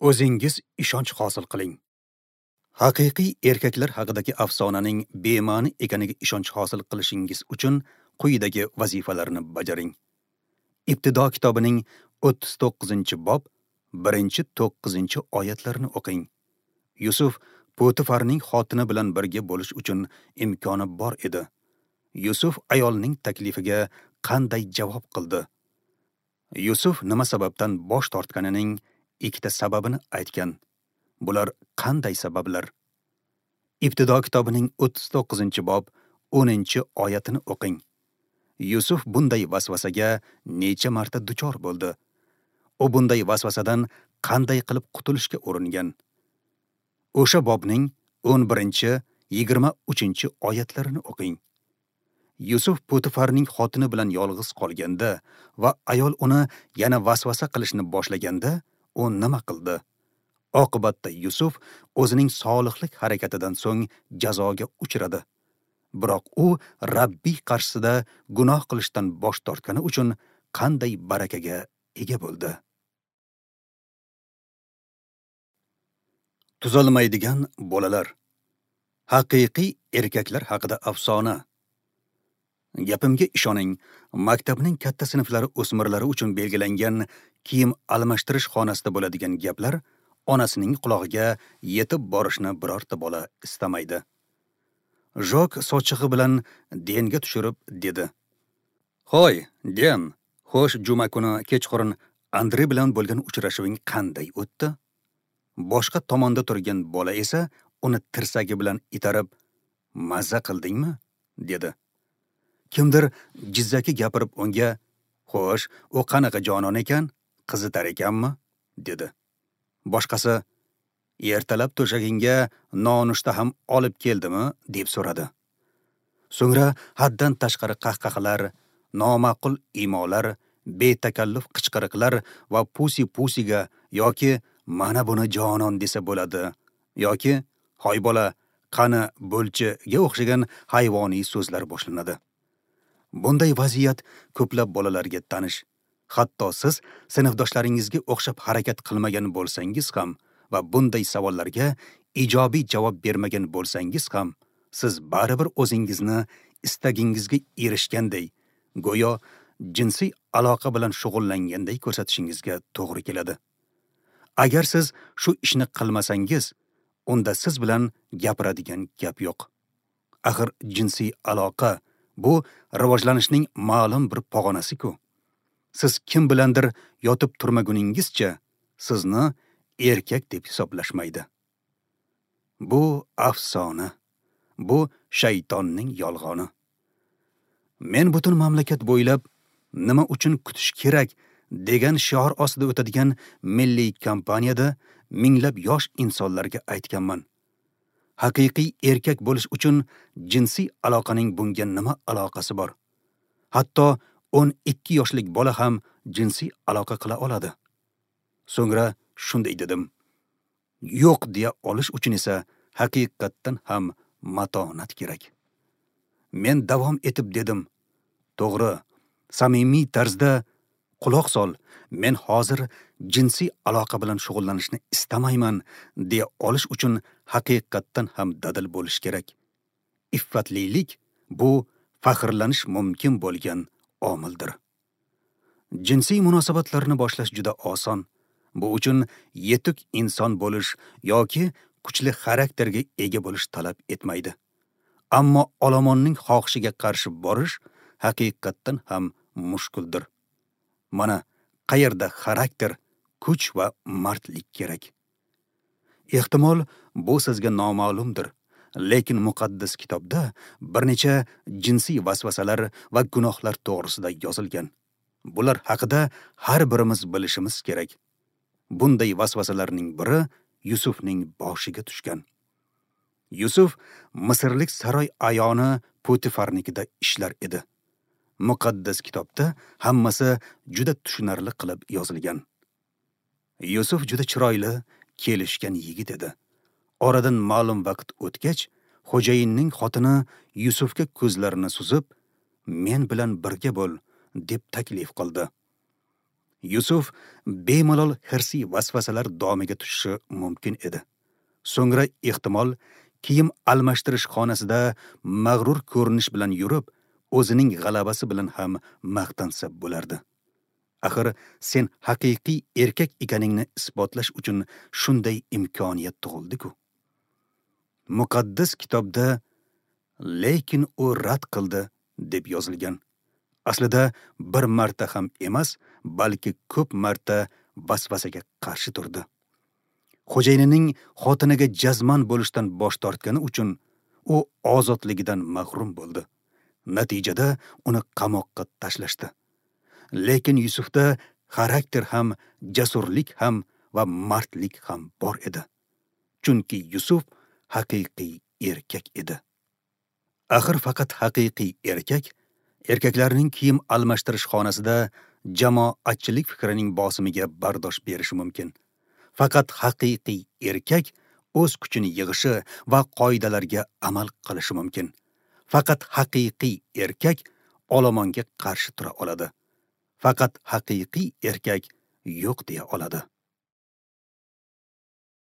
O'zingiz ishonch hosil qiling. Haqiqiy erkaklar haqidagi afsonaning bema'ni ekaniga ishonch hosil qilishingiz uchun quyidagi vazifalarni bajaring. Ibtido kitobining 39-bob 1-9 oyatlarni o'qing. Yusuf Potifarning xotini bilan birga bo'lish uchun imkoni bor edi. Yusuf ayolning taklifiga qanday javob qildi? Yusuf nima sababdan bosh tortganining ikkita sababini aytgan. Bular qanday sabablar? Ibtido kitobining 39-bob 10-oyatini o'qing. Yusuf bunday vasvasaga necha marta duchor bo'ldi? U bunday vasvasadan qanday qilib qutulishga uringan? O'sha bobning 11-23 oyatlarini o'qing. Yusuf Potifarning xotini bilan yolg'iz qolganda va ayol uni yana vasvasa qilishni boshlaganda, u nima qildi? Oqibatda Yusuf o'zining solihlik harakatidan so'ng jazoga uchradi. Biroq u Rabbiy qarshisida gunoh qilishdan bosh tortgani uchun qanday barakaga ega bo'ldi? Tuzalmaydigan bolalar. Haqiqiy erkaklar haqida afsona. Gapimga ishoning, maktabning katta sinflari o'smirlari uchun belgilangan kiyim almashtirish xonasida bo'ladigan gaplar onasining qulog'iga yetib borishni birorta bola istamaydi. Jok sochig'i bilan Denga tushirib dedi: "Hoy, Den, xo'sh, juma kuni kechqurun Andre bilan bo'lgan uchrashuving qanday o'tdi?" Boshqa tomonda turgan bola esa uni tirsagi bilan itarib, "Mazza qildingmi?" dedi. Kimdir jizzaki gapirib unga, "Xo'sh, u qanaqa jonon ekan? Qizitar ekanmi?" dedi. Boshqasi, "Ertalab to'shagingga nonushta ham olib keldimi?" deb so'radi. So'ngra haddan tashqari qahqahalar, noma'qul imolar, betakalluf qichqiriqlar va pusi-pusiga yoki "Mana buni jonon desa bo'ladi" yoki "Hoy bola, qani bo'lchi"ga o'xshagan hayvoniy so'zlar boshlanadi. Bunday vaziyat ko'plab bolalarga tanish. Hatto siz sinfdoshlaringizga o'xshab harakat qilmagan bo'lsangiz ham va bunday savollarga ijobiy javob bermagan bo'lsangiz ham, siz baribir o'zingizni istagingizga erishganday, go'yo jinsiy aloqa bilan shug'ullanganday ko'rsatishingizga to'g'ri keladi. Agar siz shu ishni qilmasangiz, unda siz bilan gapiradigan gap yo'q. Axir jinsiy aloqa bu rivojlanishning ma'lum bir pog'onasi-ku. Siz kim bilandir yotib turmaguningizcha sizni erkak deb hisoblashmaydi. Bu afsona. Bu shaytonning yolg'oni. Men butun mamlakat bo'ylab nima uchun kutish kerak degan shior ostida o'tadigan milliy kampaniyada minglab yosh insonlarga aytganman. Haqiqiy erkak bo'lish uchun jinsiy aloqaning bunga nima aloqasi bor? Hatto 12 yoshlik bola ham jinsiy aloqa qila oladi. So'ngra shunday dedim: yo'q deya olish uchun esa haqiqatdan ham matonat kerak. Men davom etib dedim: to'g'ri, samimiy tarzda quloq sol, men hozir jinsiy aloqa bilan shug'ullanishni istamayman deya olish uchun haqiqatdan ham dadil bo'lish kerak. Iffatlilik bu faxrlanish mumkin bo'lgan omildir. Jinsiy munosabatlarni boshlash juda oson. Bu uchun yetuk inson bo'lish yoki kuchli xarakterga ega bo'lish talab etmaydi. Ammo olomonning xohishiga qarshi borish haqiqatdan ham mushkuldir. Mana qayerda xarakter, kuch va mardlik kerak. Ehtimol bu sizga noma'lumdir, lekin muqaddas kitobda bir necha jinsiy vasvasalar va gunohlar to'g'risida yozilgan. Bular haqida har birimiz bilishimiz kerak. Bunday vasvasalarning biri Yusufning boshiga tushgan. Yusuf Misrlik saroy ayoni Potifarnikida ishlar edi. Muqaddas kitobda hammasi juda tushunarli qilib yozilgan. Yusuf juda chiroyli, kelishgan yigit edi. Oradan ma'lum vaqt o'tgach, xo'jayinning xotini Yusufga ko'zlarini suzib, "Men bilan birga bo'l" deb taklif qildi. Yusuf bemalol hirsiy vasvasalar domiga tushishi mumkin edi. So'ngra ehtimol kiyim almashtirish xonasida mag'rur ko'rinish bilan yurib, o'zining g'alabasi bilan ham maqtansa bo'lardi. Axir sen haqiqiy erkak ekaningni isbotlash uchun shunday imkoniyat tug'ildi-ku. Muqaddas kitobda lekin u rad qildi deb yozilgan. Aslida bir marta ham emas, balki ko'p marta vasvasaga qarshi turdi. Xo'jayinining xotiniga jazman bo'lishdan bosh tortgani uchun u ozodligidan mahrum bo'ldi. Natijada uni qamoqqa tashlashdi. Lekin Yusufda xarakter ham, jasurlik ham va mardlik ham bor edi. Chunki Yusuf haqiqiy erkak edi. Axir faqat haqiqiy erkak erkaklarning kiyim almashtirish xonasida jamoatchilik fikrining bosimiga bardosh berishi mumkin. Faqat haqiqiy erkak o'z kuchini yig'ishi va qoidalarga amal qilishi mumkin. Faqat haqiqiy erkak olomonga qarshi tura oladi. Faqat haqiqiy erkak yo'q deya oladi.